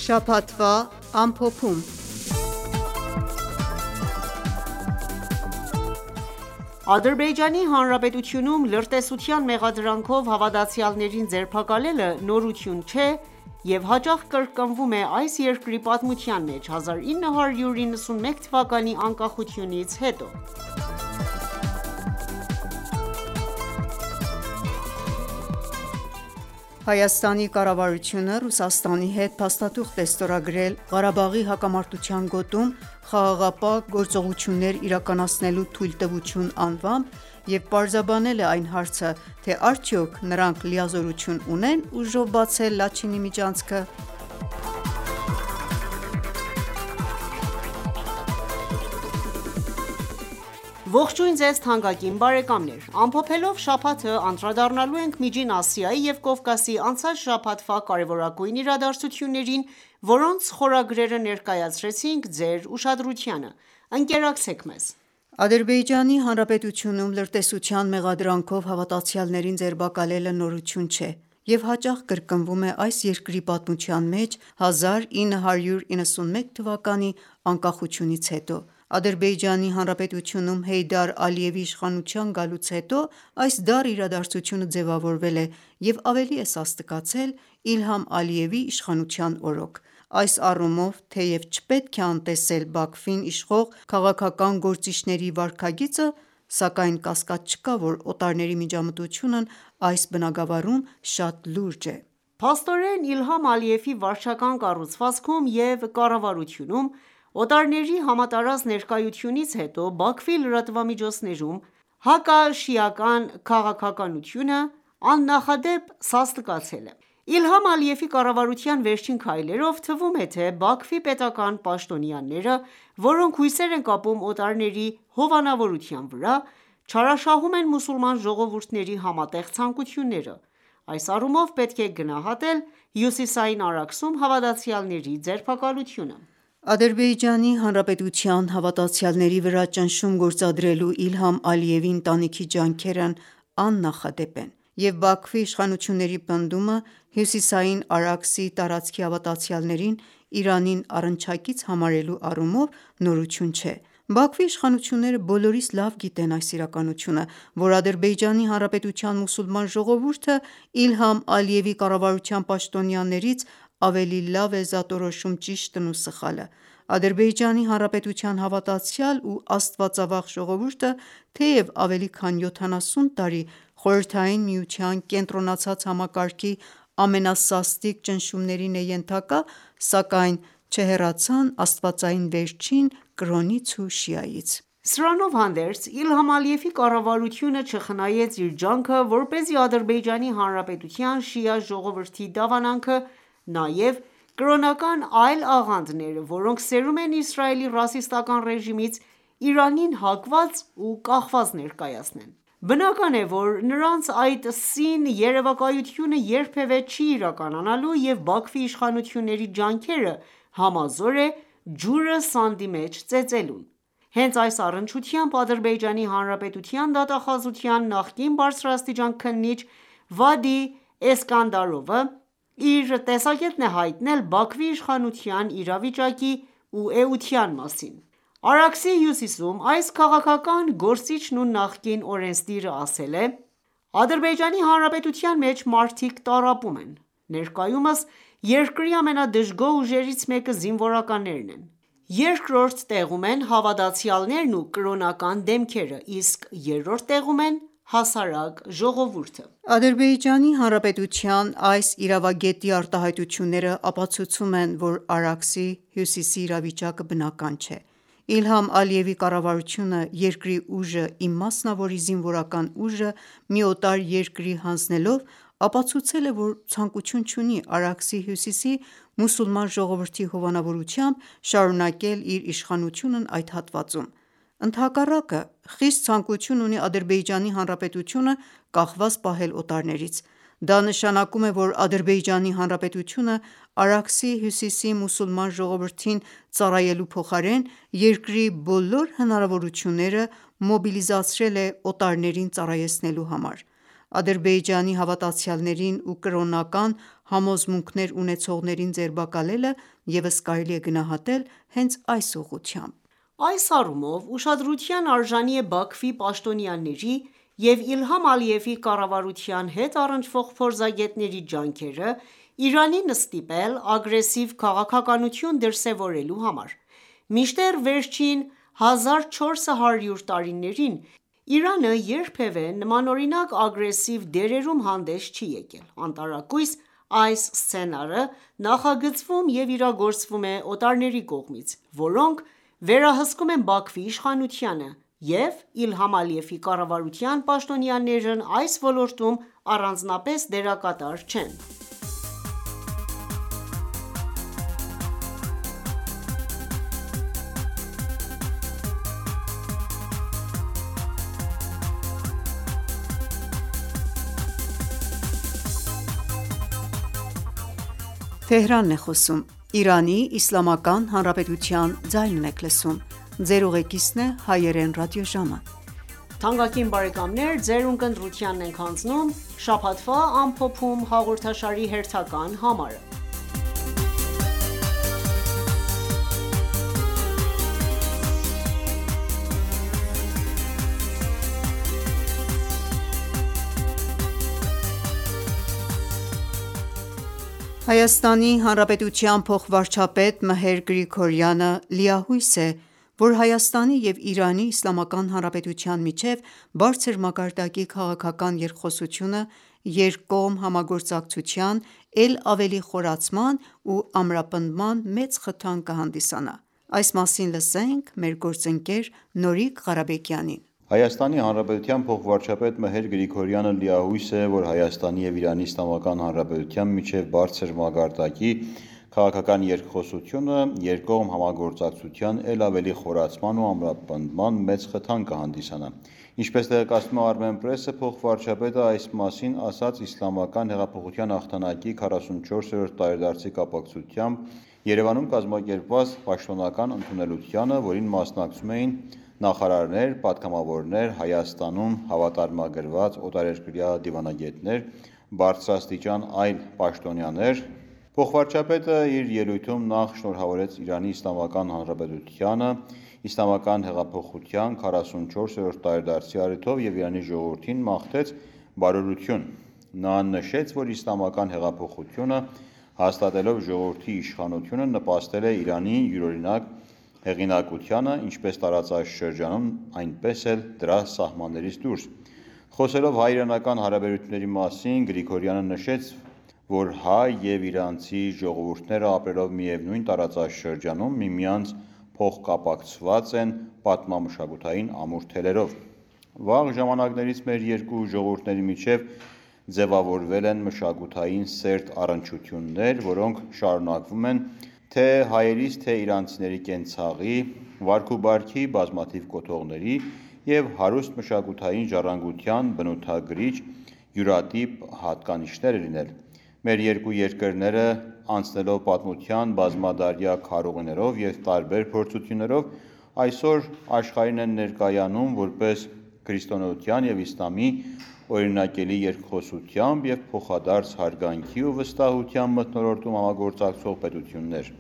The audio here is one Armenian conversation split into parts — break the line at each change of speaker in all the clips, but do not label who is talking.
Շաբաթվա ամփոփում։ Ադրբեջանի Հանրապետությունում լրտեսության մեղադրանքով հավատացյալներին ձերբակալելը նորություն չէ և հաճախ կրկնվում է այս երկրի պատմության մեջ 1991 թվականի անկախությունից հետո։ Հայաստանի կառավարությունը Ռուսաստանի հետ փաստաթուղթ է ստորագրել Ղարաբաղի հակամարտության գոտում խաղաղապահ գործողություններ իրականացնելու թույլտվություն անվամբ և պարզաբանել է այն հարցը, թե արդյոք նրանք լիազորություն ունեն ուժով բացել Լաչինի միջանցքը։ Ողջույն ձեզ թանկագին բարեկամներ: Ամփոփելով շաբաթը անդրադառնալու ենք Միջին Ասիայի և Կովկասի անցած շաբաթվա կարևորագույն իրադարձություններին, որոնց խորագրերը ներկայացրեցինք ձեր ուշադրությանը: Ընկերակցեք մեզ: Ադրբեջանի Հանրապետությունում լրտեսության մեղադրանքով հավատացյալներին ձերբակալելը նորություն չէ և հաճախ կրկնվում է այս երկրի պատմության մեջ 1991 թվականի անկախությունից հետո։ Ադրբեջանի Հանրապետությունում Հեյդար Ալիևի իշխանության գալուց հետո այս դառ իրադարձությունը ձևավորվել է և ավելի է սաստկացել Իլհամ Ալիևի իշխանության օրոք։ Այս առումով, թեև չպետք է անտեսել Բաքվին իշխող քաղաքական գործիչների վարքագիծը, սակայն կասկած չկա, որ օտարների միջամտությունն այս բնագավառում շատ լուրջ է։ Փաստորեն, Իլհամ Ալիևի վարչական կառուցվածքում և կառավարությունում օտարների համատարած ներկայությունից հետո Բաքվի լրատվամիջոցներում հակաշիական քաղաքականությունը աննախադեպ սաստկացել է։ Իլհամ Ալիևի կառավարության վերջին քայլերով թվում է, թե Բաքվի պետական պաշտոնյաները, որոնք հույսեր են կապում օտարների հովանավորության վրա, չարաշահում են մուսուլման ժողովուրդների համատեղ ցանկությունները։ Այս առումով պետք է գնահատել Հյուսիսային Արաքսում հավատացյալների ձերբակալությունը։ Ադրբեջանի Հանրապետության հավատացյալների վրա ճնշում գործադրելու Իլհամ Ալիևի ընտանիքի ջանքերն աննախադեպ են, և Բաքվի իշխանությունների պնդումը Հյուսիսային Արաքսի տարածքի հավատացյալներին Իրանին առնչակից համարելու առումով նորություն չէ։ Բաքվի իշխանությունները բոլորիս լավ գիտեն այս իրականությունը, որ Ադրբեջանի Հանրապետության մուսուլման ժողովուրդը Իլհամ Ալիևի կառավարության պաշտոնյաներից ավելի լավ է զատորոշում ճիշտն ու սխալը։ Ադրբեջանի Հանրապետության հավատացյալ ու աստվածավախ ժողովուրդը թեև ավելի քան 70 տարի Խորհրդային Միության կենտրոնացած համակարգի ամենասաստիկ ճնշումներին է ենթակա, սակայն չհեռացան աստվածային վերջին կրոնից ու շիայից։ Սրանով հանդերձ, Իլհամ Ալիևի կառավարությունը չխնայեց իր ջանքը, որպեսզի Ադրբեջանի Հանրապետության շիա ժողովրդի դավանանքը նաև կրոնական այլ աղանդներ, որոնք սերում են Իսրայելի ռասիստական ռեժիմից, Իրանին հակված ու կախված ներկայացնեն։ Բնական է, որ նրանց այդ սին երևակայությունը երբևէ չի իրականանալու, և Բաքվի իշխանությունների ջանքերը համազոր է ջուրը սանդի մեջ ծեծելուն։ Հենց այս առնչությամբ Ադրբեջանի Հանրապետության դատախազության նախկին բարձրաստիճան քննիչ Վադի Էսկանդարովը իր տեսակետն է հայտնել Բաքվի իշխանության իրավիճակի ու էության մասին։ Արաքսի հյուսիսում այս քաղաքական գործիչն ու նախկին օրենսդիրը ասել է.«Ադրբեջանի Հանրապետության մեջ մարդիկ տառապում են։ Ներկայումս երկրի ամենադժգոհ ուժերից մեկը զինվորականներն են։ Երկրորդ տեղում են հավատացյալներն ու կրոնական դեմքերը, իսկ երրորդ տեղում են հասարակ ժողովուրդը»։ Ադրբեջանի Հանրապետության այս իրավագետի արտահայտությունները ապացուցում են, որ Արաքսի հյուսիսի իրավիճակը բնական չէ։ Իլհամ Ալիևի կառավարությունը երկրի ուժը, իմասնավորի զինվորական ուժը, մի օտար երկրի հանձնելով, ապացուցել է, որ ցանկություն չունի Արաքսի հյուսիսի մուսուլման ժողովրդի հովանավորությամբ շարունակել իր իշխանությունն այդ հատվածում։ Ընդհակառակը, խիստ ցանկություն ունի Ադրբեջանի Հանրապետությունը կախված պահել օտարներից։ Դա նշանակում է, որ Ադրբեջանի Հանրապետությունը Արաքսի հյուսիսի մուսուլման ժողովրդին ծառայելու փոխարեն, երկրի բոլոր հնարավորությունները մոբիլիզացրել է օտարներին ծառայեցնելու համար։ Ադրբեջանի հավատացյալներին ու կրոնական համոզմունքներ ունեցողներին ձերբակալելը ևս կարելի է գնահատել հենց այս ուղղությամբ:
Այս առումով ուշադրության արժանի է Բաքվի պաշտոնյաների և Իլհամ Ալիևի կառավարության հետ առնչվող փորձագետների ջանքերը Իրանին ստիպել ագրեսիվ քաղաքականություն դրսևորելու համար: Մինչդեռ վերջին 1400 տարիներին Իրանը երբևէ նմանօրինակ ագրեսիվ դերերում հանդես չի եկել: Անտարակույս այս սցենարը նախագծվում և իրագործվում է օտարների կողմից, որոնք վերահսկում են Բաքվի իշխանությանը, և Իլհամ Ալիևի կառավարության պաշտոնյաներն այս ոլորտում առանձնապես դերակատար չեն:
Հայաստանի Հանրապետության փոխվարչապետ Մհեր Գրիգորյանը լիահույս է, որ Հայաստանի և Իրանի Իսլամական Հանրապետության միջև բարձր մակարդակի քաղաքական երկխոսությունը երկկողմ համագործակցության էլ ավելի խորացման ու ամրապնդման մեծ խթան կհանդիսանա: Այս մասին լսենք մեր գործընկեր Նորիկ Ղարաբեկյանին:
Հայաստանի Հանրապետության փոխվարչապետ Մհեր Գրիգորյանը լիահույս է, որ Հայաստանի և Իրանի Իսլամական Հանրապետության միջև բարձր մակարդակի քաղաքական երկխոսությունը երկկողմ համագործակցության էլ ավելի խորացման ու ամրապնդման մեծ խթան կհանդիսանա: Ինչպես տեղեկացնում է Armenpress-ը, փոխվարչապետը այս մասին ասաց Իսլամական հեղափոխության հաղթանակի 44-րդ տարեդարձի կապակցությամբ Երևանում կազմակերպված պաշտոնական ընդունելությանը, որին մասնակցում էին նախարարներ, պատգամավորներ, Հայաստանում հավատարմագրված օտարերկրյա դիվանագետներ, բարձրաստիճան այլ պաշտոնյաներ: Փոխվարչապետը իր ելույթում նախ շնորհավորեց Իրանի Իսլամական Հանրապետությանը Իսլամական հեղափոխության 44-րդ տարեդարձի առիթով և Իրանի ժողովրդին մաղթեց բարօրություն: Նա նշեց, որ Իսլամական հեղափոխությունը հաստատելով ժողովրդի իշխանությունը նպաստել է Իրանի յուրօրինակ հեղինակությանը ինչպես տարածաշրջանում, այնպես էլ դրա սահմաններից դուրս: Խոսելով հայ-իրանական հարաբերությունների մասին Գրիգորյանը նշեց, որ հայ և իրանցի ժողովուրդները ապրելով միևնույն տարածաշրջանում միմյանց փոխկապակցված են պատմամշակութային ամուր թելերով: Վաղ ժամանակներից մեր երկու ժողովուրդների միջև ձևավորվել են մշակութային սերտ առնչություններ, որոնք շարունակվում են թե հայերից, թե իրանցիների կենցաղի, վարք ու բարքի, բազմաթիվ կոթողների և հարուստ մշակութային ժառանգության բնութագրիչ յուրատիպ հատկանիշներ լինել: Մեր երկու երկրները անցնելով պատմության բազմադարյա քարոզիներով և տարբեր փորձություններով այսօր աշխարհին են ներկայանում որպես քրիստոնեության և իսլամի օրինակելի երկխոսությամբ և փոխադարձ հարգանքի ու վստահության մթնոլորտում համագործակցող պետություններ: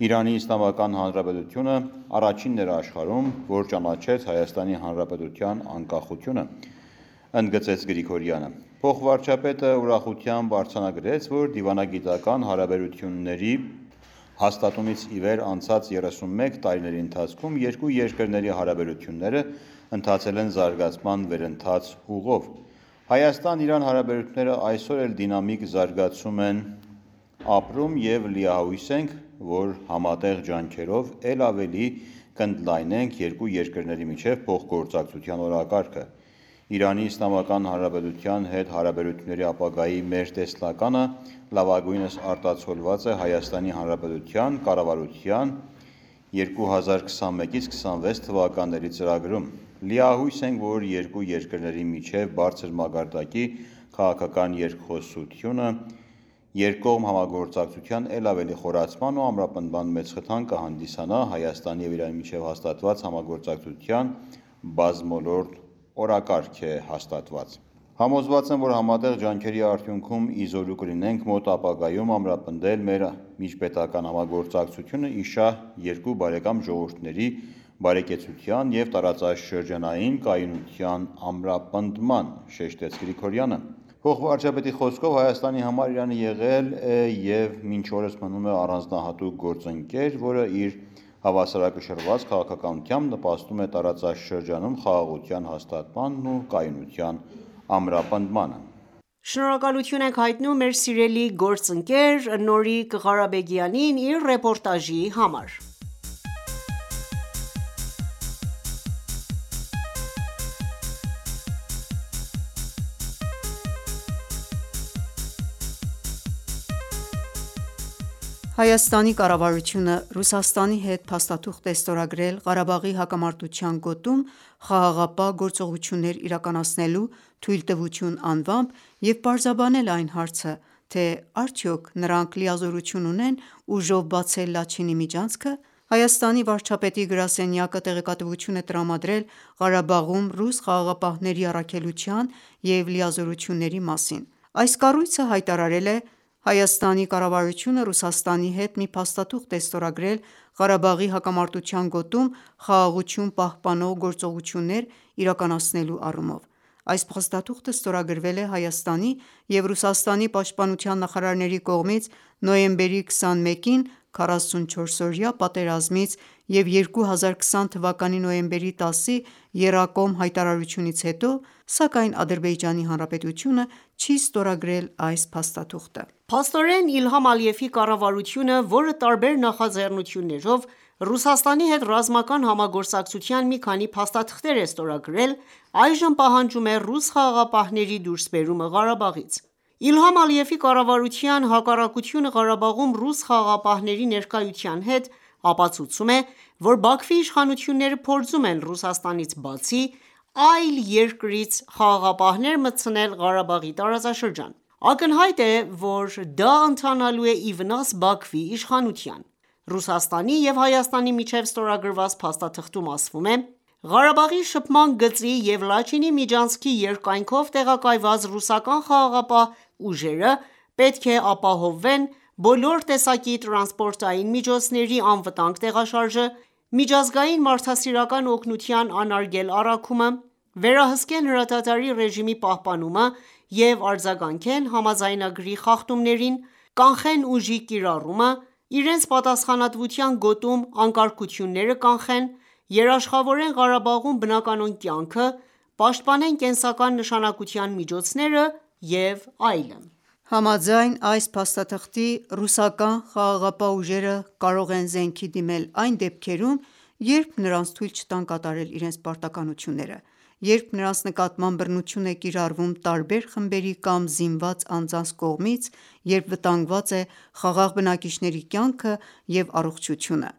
Իրանի Իսլամական Հանրապետությունը առաջինն էր աշխարհում, որ ճանաչեց Հայաստանի Հանրապետության անկախությունը, ընդգծեց Գրիգորյանը: Փոխվարչապետը ուրախությամբ արձանագրեց, որ դիվանագիտական հարաբերությունների հաստատումից ի վեր անցած 31 տարիների ընթացքում երկու երկրների հարաբերությունները ընթացել են զարգացման վերընթաց ուղով: Հայաստան-Իրան հարաբերությունները այսօր էլ դինամիկ զարգացում են ապրում և լիահույս ենք, որ համատեղ ջանքերով էլ ավելի կընդլայնենք երկու երկրների միջև փոխգործակցության օրակարգը: Իրանի Իսլամական Հանրապետության հետ հարաբերությունների ապագայի մեր տեսլականը լավագույնս արտացոլված է Հայաստանի Հանրապետության կառավարության 2021-26 թվականների ծրագրում: Լիահույս ենք, որ երկու երկրների միջև բարձր մակարդակի քաղաքական երկխոսությունը երկկողմ համագործակցության էլ ավելի խորացման ու ամրապնդման մեծ խթան կհանդիսանա: Հայաստանի և Իրանի միջև հաստատված համագործակցության բազմոլորտ օրակարգ է հաստատված: Համոզված եմ, որ համատեղ ջանքերի արդյունքում իզորու կլինենք մոտ ապագայում ամրապնդել մեր միջպետական համագործակցությունը ի շահ երկու բարեկամ ժողովուրդների բարեկեցության և տարածաշրջանային կայունության ամրապնդման, շեշտեց Գրիգորյանը։ Փոխվարչապետի խոսքով Հայաստանի համար Իրանը եղել է և մինչ օրս մնում է առանձնահատուկ գործընկեր, որը իր հավասարակշռված քաղաքականությամբ նպաստում է տարածաշրջանում խաղաղության հաստատմանն ու կայունության ամրապնդմանը։
Շնորհակալություն ենք հայտնում մեր սիրելի գործընկեր Նորիկ Ղարաբեգյանին իր ռեպորտաժի համար։
Հայաստանի կառավարությունը Ռուսաստանի հետ փաստաթուղթ է ստորագրել Ղարաբաղի հակամարտության գոտում խաղաղապահ գործողություններ իրականացնելու թույլտվություն անվամբ և պարզաբանել այն հարցը, թե արդյոք նրանք լիազորություն ունեն ուժով բացել Լաչինի միջանցքը։ Հայաստանի վարչապետի գրասենյակը տեղեկատվություն է տրամադրել Ղարաբաղում ռուս խաղաղապահների առաքելության և լիազորությունների մասին։ Այս կառույցը հայտարարել է. «Հայաստանի կառավարությունը Ռուսաստանի հետ մի փաստաթուղթ է ստորագրել Ղարաբաղի հակամարտության գոտում խաղաղություն պահպանող գործողություններ իրականացնելու առումով։ Այս փաստաթուղթը ստորագրվել է Հայաստանի և Ռուսաստանի պաշտպանության նախարարների կողմից նոյեմբերի 21-ին 44-օրյա պատերազմից և 2020 թվականի նոյեմբերի 10-ի եռակողմ հայտարարությունից հետո, սակայն Ադրբեջանի Հանրապետությունը չի ստորագրել այս փաստաթուղթը»։
Փաստորեն Իլհամ Ալիևի կառավարությունը, որը տարբեր նախաձեռնություններով Ռուսաստանի հետ ռազմական համագործակցության մի քանի փաստաթղթեր է ստորագրել, այժմ պահանջում է ռուս խաղաղապահների դուրսբերումը Ղարաբաղից։ Իլհամ Ալիևի կառավարության հակառակությունը Ղարաբաղում ռուս խաղաղապահների ներկայության հետ ապացուցում է, որ Բաքվի իշխանությունները փորձում են Ռուսաստանից բացի, այլ երկրից խաղաղապահներ մտցնել Ղարաբաղի տարածաշրջան։ Ակնհայտ է, որ դա ընթանալու է ի վնաս Բաքվի իշխանության։ Ռուսաստանի և Հայաստանի միջև ստորագրված փաստաթղթում ասվում է. «Ղարաբաղի շփման գծի և Լաչինի միջանցքի երկայնքով տեղակայված ռուսական խաղաղապահ ուժերը պետք է ապահովեն բոլոր տեսակի տրանսպորտային միջոցների անվտանգ տեղաշարժը, միջազգային մարդասիրական օգնության անարգել առաքումը, վերահսկեն հրադադարի ռեժիմի պահպանումը և արձագանքեն համաձայնագրի խախտումներին, կանխեն ուժի կիրառումը, իրենց պատասխանատվության գոտում անկարգությունները կանխեն, երաշխավորեն Ղարաբաղում բնականոն կյանքը, պաշտպանեն կենսական նշանակության միջոցները և այլն»։
Համաձայն այս փաստաթղթի՝ ռուսական խաղաղապահ ուժերը կարող են զենքի դիմել այն դեպքերում, երբ նրանց թույլ չտան կատարել իրենց պարտականությունները, երբ նրանց նկատմամբ բռնություն է կիրառվում տարբեր խմբերի կամ զինված անձանց կողմից, երբ վտանգված է խաղաղ բնակիչների կյանքը և առողջությունը։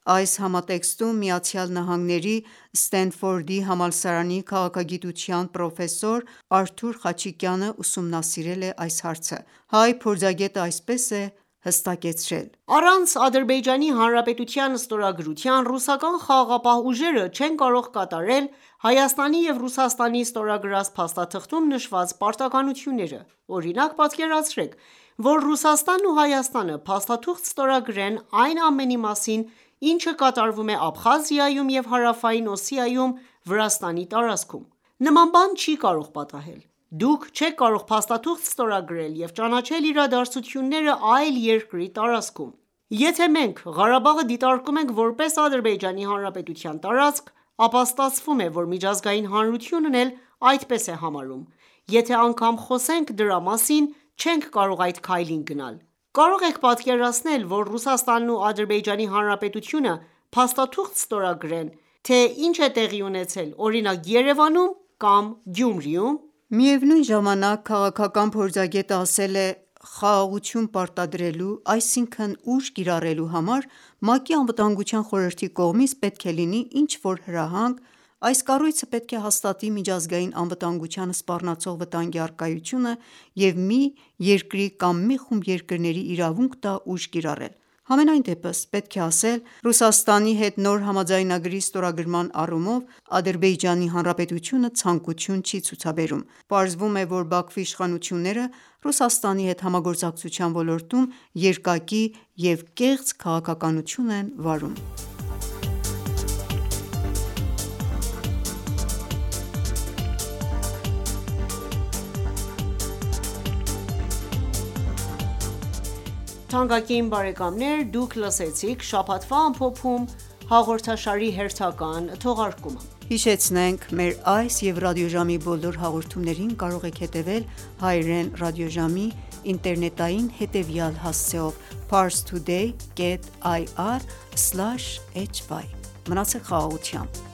Այս համատեքստում ԱՄՆ Սթենֆորդի համալսարանի քաղաքագիտության պրոֆեսոր Արթուր Խաչիկյանը ուսումնասիրել է այս հարցը։ Հայ փորձագետը այսպես է հստակեցրել.
«Առանց Ադրբեջանի Հանրապետության ստորագրության ռուսական խաղաղապահ ուժերը չեն կարող կատարել Հայաստանի և Ռուսաստանի ստորագրած փաստաթղթում նշված պարտականությունները։ Օրինակ, պատկերացրեք, որ Ռուսաստանն ու Հայաստանը փաստաթուղթ ստորագրեն այն ամենի մասին, ինչը կատարվում է Աբխազիայում և Հարավային Օսիայում Վրաստանի տարածքում։ Նման բան չի կարող պատահել։ Դուք չեք կարող փաստաթուղթ ստորագրել և ճանաչել իրադարձությունները այլ երկրի տարածքում։ Եթե մենք Ղարաբաղը դիտարկում ենք որպես Ադրբեջանի Հանրապետության տարածք, ապա ստացվում է, որ միջազգային հանրությունն էլ այդպես է համարում։ Եթե անգամ խոսենք դրա մասին, չենք կարող այդ քայլին գնալ։ Կարող եք պատկերացնել, որ Ռուսաստանն ու Ադրբեջանի Հանրապետությունը փաստաթուղթ ստորագրեն, թե ինչ է տեղի ունեցել, օրինակ Երևանում կամ Գյումրիում։
Միևնույն ժամանակ, քաղաքական փորձագետը ասել է. «Խաղաղություն պարտադրելու, այսինքն ուժ կիրառելու համար ՄԱԿ-ի Անվտանգության խորհրդի կողմից պետք է լինի ինչ-որ հրահանգ։ Այս կառույցը պետք է հաստատի միջազգային անվտանգությանը սպառնացող վտանգի առկայությունը և մի երկրի կամ մի խումբ երկրների իրավունք տա ուժ կիրառել։ Համենայն դեպս, պետք է ասել, Ռուսաստանի հետ նոր համաձայնագրի ստորագրման առումով Ադրբեջանի Հանրապետությունը ցանկություն չի ցուցաբերում։ Պարզվում է, որ Բաքվի իշխանությունները Ռուսաստանի հետ համագործակցության ոլորտում երկակի և կեղծ քաղաքականություն են վարում։
Թանկագին բարեկամներ, դուք լսեցիք շաբաթվա ամփոփում հաղորդաշարի հերթական թողարկումը։
Հիշեցնենք մեր այս եւ ռադիոժամի բոլոր հաղորդումներին կարող եք հետևել հայրեն ռադիոժամի ինտերնետային հետևյալ հասցեով՝ parstoday.ir/hy: Մնացեք խաղաղությամբ։